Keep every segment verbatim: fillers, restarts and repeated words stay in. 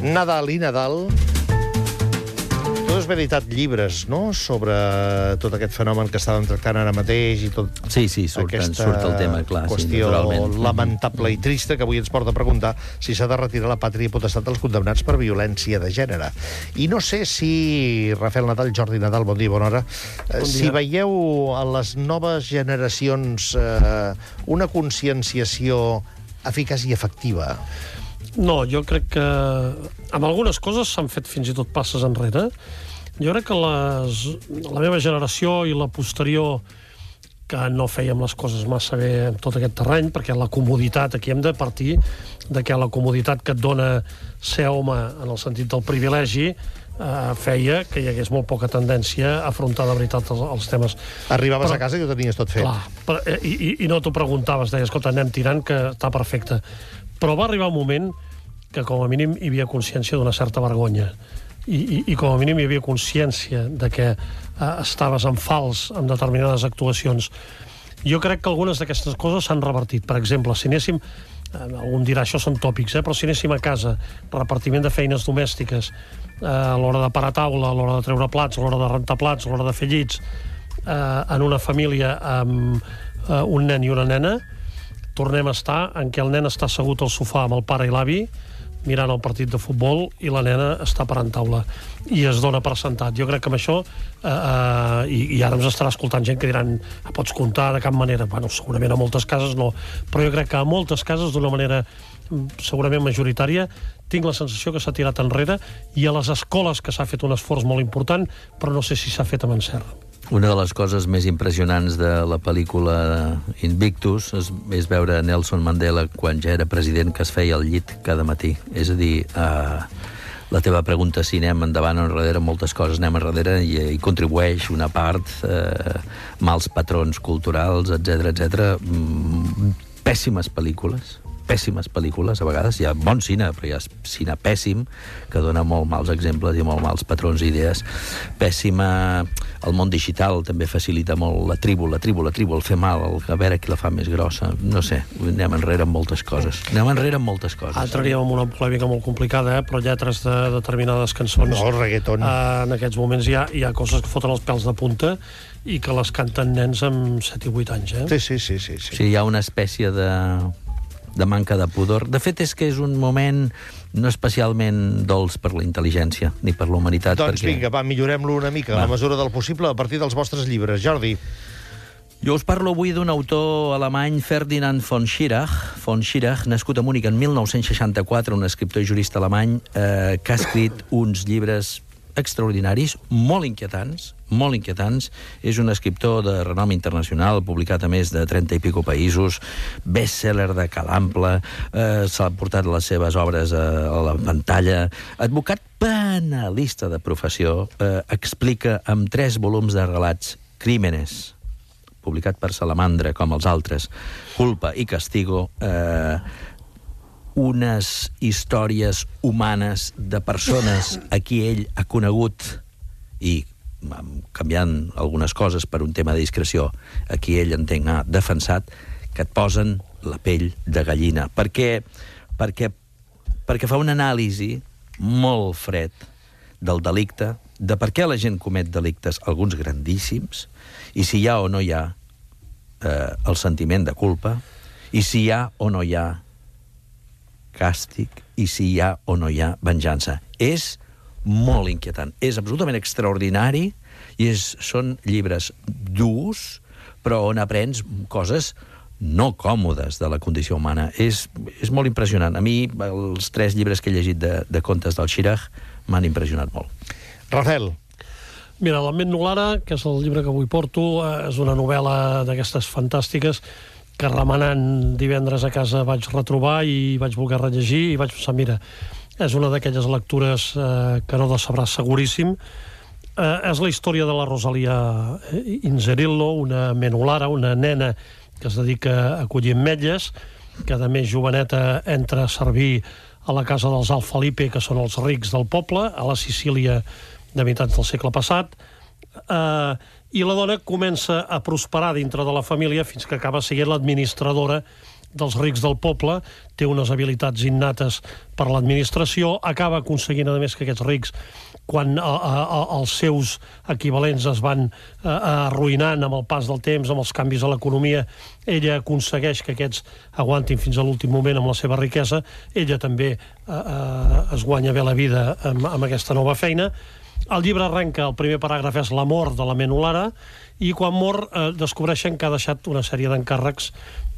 Nadal i Nadal. Tu has veritat llibres, no?, sobre tot aquest fenomen que estàvem tractant ara mateix i tot. Sí, sí, surt, surt el tema, clar. Qüestió sí, naturalment. lamentable i trista que avui ens porta a preguntar si s'ha de retirar la pàtria i potestat dels condemnats per violència de gènere. I no sé si, Rafael Nadal, Jordi Nadal, bon dia, bona hora, bon si dia. Veieu a les noves generacions eh, una conscienciació eficaç i efectiva. No, jo crec que amb algunes coses s'han fet fins i tot passes enrere. Jo crec que les, la meva generació i la posterior, que no fèiem les coses massa bé en tot aquest terreny, perquè la comoditat, aquí hem de partir de que la comoditat que et dona ser home en el sentit del privilegi eh, feia que hi hagués molt poca tendència a afrontar de veritat els, els temes. Arribaves Però, a casa i ho tenies tot fet. Clar, però, i, i, i no t'ho preguntaves, deies, escolta, anem tirant, que està perfecte. Però va arribar un moment que com a mínim hi havia consciència d'una certa vergonya i, i, i com a mínim hi havia consciència de que eh, estaves en fals en determinades actuacions. Jo crec que algunes d'aquestes coses s'han revertit. Per exemple, si anéssim, eh, algun dirà això són tòpics, eh, però si anéssim a casa, repartiment de feines domèstiques, eh, a l'hora de parar taula, a l'hora de treure plats, a l'hora de rentar plats, a l'hora de fer llits, eh, en una família amb eh, un nen i una nena, tornem a estar en què el nen està assegut al sofà amb el pare i l'avi, mirant el partit de futbol, i la nena està parant taula i es dona per sentat. Jo crec que amb això eh, eh, i, i ara ens estarà escoltant gent que diran pots comptar de cap manera. Bueno, segurament a moltes cases no, però jo crec que a moltes cases d'una manera segurament majoritària tinc la sensació que s'ha tirat enrere, i a les escoles que s'ha fet un esforç molt important, però no sé si s'ha fet amb encert. Una de les coses més impressionants de la pel·lícula Invictus és, és veure Nelson Mandela quan ja era president, que es feia al llit cada matí. És a dir, eh, la teva pregunta si anem endavant o enrere, moltes coses anem enrere, i hi contribueix una part, eh, mals patrons culturals, etcètera, etcètera. Mm, pèssimes pel·lícules. pèssimes pel·lícules, a vegades hi ha bon cine, però hi ha cine pèssim que dona molt mals exemples i molt mals patrons i idees. Pèssima. El món digital també facilita molt la tribu, la tribu, la tribu, el fer mal, el, a veure qui la fa més grossa. No sé, anem enrere amb moltes coses. Anem enrere amb moltes coses. Entraríem en una polèmica molt complicada, eh? Però lletres de determinades cançons... No, el reggaeton. Eh, en aquests moments hi ha, hi ha coses que foten els pèls de punta i que les canten nens amb set i vuit anys, eh? Sí, sí, sí, sí, sí. Sí, hi ha una espècie de... de manca de pudor. De fet, és que és un moment no especialment dolç per la intel·ligència, ni per la humanitat. Doncs perquè... vinga, va, millorem-lo una mica, va. A la mesura del possible, a partir dels vostres llibres. Jordi. Jo us parlo avui d'un autor alemany, Ferdinand von Schirach, von Schirach, nascut a Múnich en mil nou-cents seixanta-quatre, un escriptor i jurista alemany, eh, que ha escrit uns llibres extraordinaris, molt inquietants, molt inquietants. És un escriptor de renom internacional, publicat a més de trenta i pico països, best-seller de calample, eh, s'ha portat les seves obres a, a la pantalla. Advocat penalista de professió, eh, explica amb tres volums de relats, Crímenes, publicat per Salamandra, com els altres, Culpa i Castigo, eh, unes històries humanes de persones a qui ell ha conegut i, canviant algunes coses per un tema de discreció, a qui ell, entenc, ha defensat, que et posen la pell de gallina. Perquè, perquè, perquè fa una anàlisi molt fred del delicte, de per què la gent comet delictes, alguns grandíssims, i si hi ha o no hi ha eh, el sentiment de culpa, i si hi ha o no hi ha càstig, i si hi ha o no hi ha venjança. És molt inquietant. És absolutament extraordinari i és, són llibres durs, però on aprens coses no còmodes de la condició humana. És, és molt impressionant. A mi, els tres llibres que he llegit de, de contes del Schirach m'han impressionat molt. Rafael. Mira, l'Ament Nulara, que és el llibre que avui porto, és una novel·la d'aquestes fantàstiques que remenant divendres a casa vaig retrobar i vaig voler rellegir i vaig pensar, mira, és una d'aquelles lectures eh, que no decebràs seguríssim. Eh, és la història de la Rosalia Inzerillo, una menulara, una nena que es dedica a collir ametlles, que a més joveneta entra a servir a la casa dels Alfalipe, que són els rics del poble, a la Sicília de mitjans del segle passat. Eh, i la dona comença a prosperar dintre de la família fins que acaba sent l'administradora dels rics del poble, té unes habilitats innates per l'administració, acaba aconseguint, a més, que aquests rics, quan a, a, a, els seus equivalents es van a, arruïnant amb el pas del temps, amb els canvis a l'economia, ella aconsegueix que aquests aguantin fins a l'últim moment amb la seva riquesa, ella també a, a, es guanya bé la vida amb, amb aquesta nova feina. El llibre arrenca, el primer paràgraf és la mort de la Menolara, i quan mor eh, descobreixen que ha deixat una sèrie d'encàrrecs,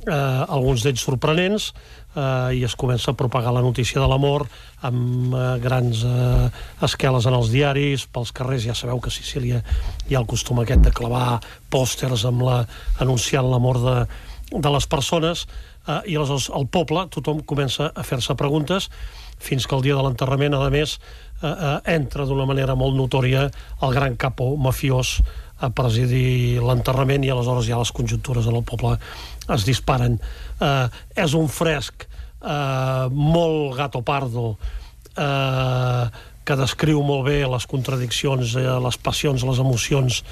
eh, alguns d'ells sorprenents, eh, i es comença a propagar la notícia de la mort amb eh, grans eh, esqueles en els diaris, pels carrers. Ja sabeu que a Sicília hi ha el costum aquest de clavar pòsters amb la, anunciant la mort de, de les persones, eh, i aleshores el poble, tothom comença a fer-se preguntes, fins que el dia de l'enterrament, a més, eh, eh, entra d'una manera molt notòria el gran capo mafiós a presidir l'enterrament, i aleshores ja les conjuntures en el poble es disparen. Eh, és un fresc eh, molt gato pardo, eh, que descriu molt bé les contradiccions, eh, les passions, les emocions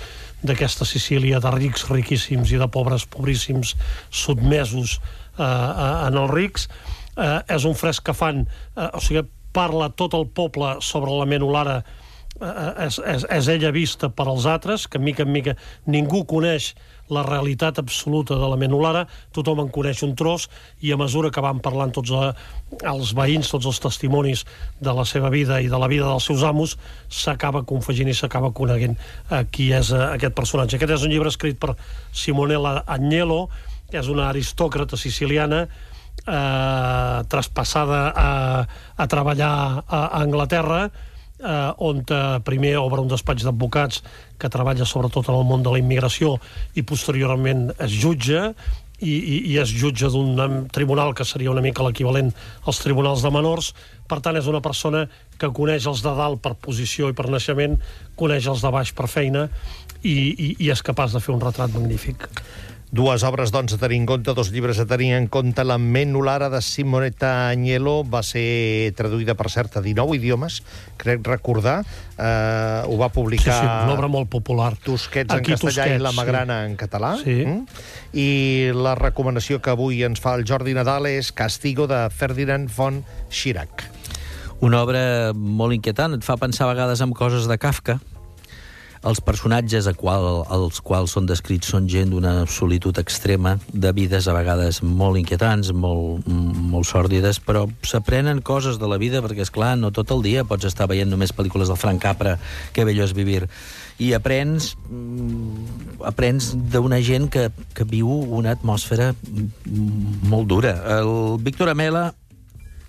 d'aquesta Sicília de rics riquíssims i de pobres pobríssims sotmesos eh, en els rics. Eh, és un fresc que fan, eh, o sigui, parla tot el poble sobre la Menolara, eh, és, és, és ella vista per als altres, que mica en mica ningú coneix la realitat absoluta de la Menolara, tothom en coneix un tros, i a mesura que van parlant tots eh, els veïns, tots els testimonis de la seva vida i de la vida dels seus amos, s'acaba confegint i s'acaba coneguent eh, qui és eh, aquest personatge. Aquest és un llibre escrit per Simonella Agnello, és una aristòcrata siciliana, Eh, traspassada a, a treballar a, a Anglaterra, eh, on eh, primer obre un despatx d'advocats que treballa sobretot en el món de la immigració, i posteriorment es jutja, i, i, i es jutja d'un tribunal que seria una mica l'equivalent als tribunals de menors. Per tant, és una persona que coneix els de dalt per posició i per naixement, coneix els de baix per feina, i, i, i és capaç de fer un retrat magnífic. Dues obres, doncs, a tenir en compte, dos llibres a tenir en compte. La Menolara, de Simonetta Agnello, va ser traduïda, per cert, a dinou idiomes, crec recordar. Eh, ho va publicar... Sí, sí, una obra molt popular. Tusquets en Aquí, castellà Tusquets, i La Magrana sí. en català. Sí. Mm? I la recomanació que avui ens fa el Jordi Nadal és Castigo, de Ferdinand von Schirach. Una obra molt inquietant, et fa pensar a vegades en coses de Kafka. Els personatges a qual, els quals són descrits són gent d'una solitud extrema, de vides a vegades molt inquietants, molt, molt sòrdides, però s'aprenen coses de la vida, perquè, és clar, no tot el dia pots estar veient només pel·lícules del Frank Capra, que bello és vivir. I aprens, aprens d'una gent que, que viu una atmosfera molt dura. El Víctor Amela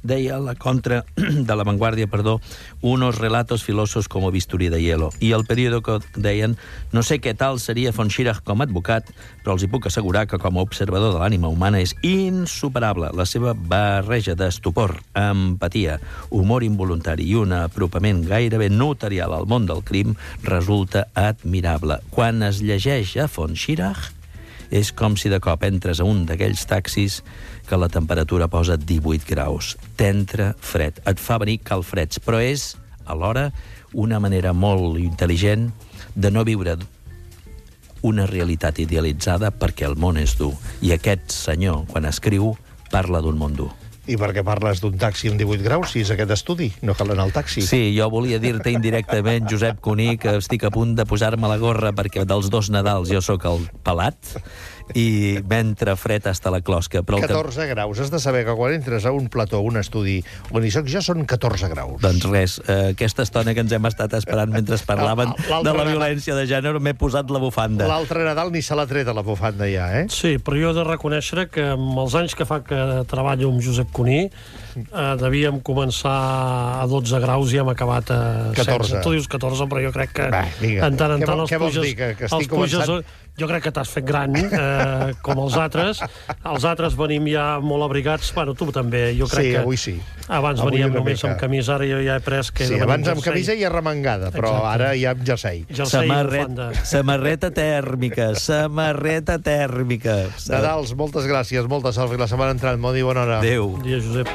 deia la contra de La Vanguardia, perdó, unos relatos filosos como bisturí de hielo. I el periòdico deien, no sé què tal seria von Schirach com a advocat, però els hi puc assegurar que com a observador de l'ànima humana és insuperable. La seva barreja d'estupor, empatia, humor involuntari i un apropament gairebé notarial al món del crim resulta admirable. Quan es llegeix a von Schirach, és com si de cop entres a un d'aquells taxis que la temperatura posa divuit graus. T'entra fred, et fa venir calfreds, però és, alhora, una manera molt intel·ligent de no viure una realitat idealitzada, perquè el món és dur. I aquest senyor, quan escriu, parla d'un món dur. I per què parles d'un taxi amb divuit graus, si és aquest estudi? No cal anar al taxi. Sí, jo volia dir-te indirectament, Josep Cuní, que estic a punt de posar-me la gorra perquè dels dos Nadals jo sóc el pelat i m'entra fred hasta la closca. Però catorze graus. Has de saber que quan entres a un plató, a un estudi on hi soc jo, són catorze graus. Doncs res, eh, aquesta estona que ens hem estat esperant mentre parlaven de la violència de gènere, m'he posat la bufanda. L'altre Nadal ni se l'ha tret a la bufanda ja, eh? Sí, però jo he de reconèixer que amb els anys que fa que treballo amb Josep Cuní, eh, devíem començar a dotze graus i hem acabat a catorze. setze. Tu dius catorze, però jo crec que Va, vinga. en tant en Què tant vol- els què vols puges... dir, que- que estic els puges començant? jo crec que t'has fet gran, eh, com els altres. Els altres venim ja molt abrigats. Bueno, tu també. Jo crec Sí, que avui sí. Abans Avui veníem una només mica. amb camisa, ara jo ja he pres que... Sí, he de venir abans amb jersei. camisa i arremangada, però Exacte. ara ja amb jersei. Jersei i Samarret, bufanda. samarreta tèrmica, samarreta tèrmica. Nadals, moltes gràcies, molta sort, i la setmana entrant. Bon dia, bona hora. Adéu. Bon dia, Josep.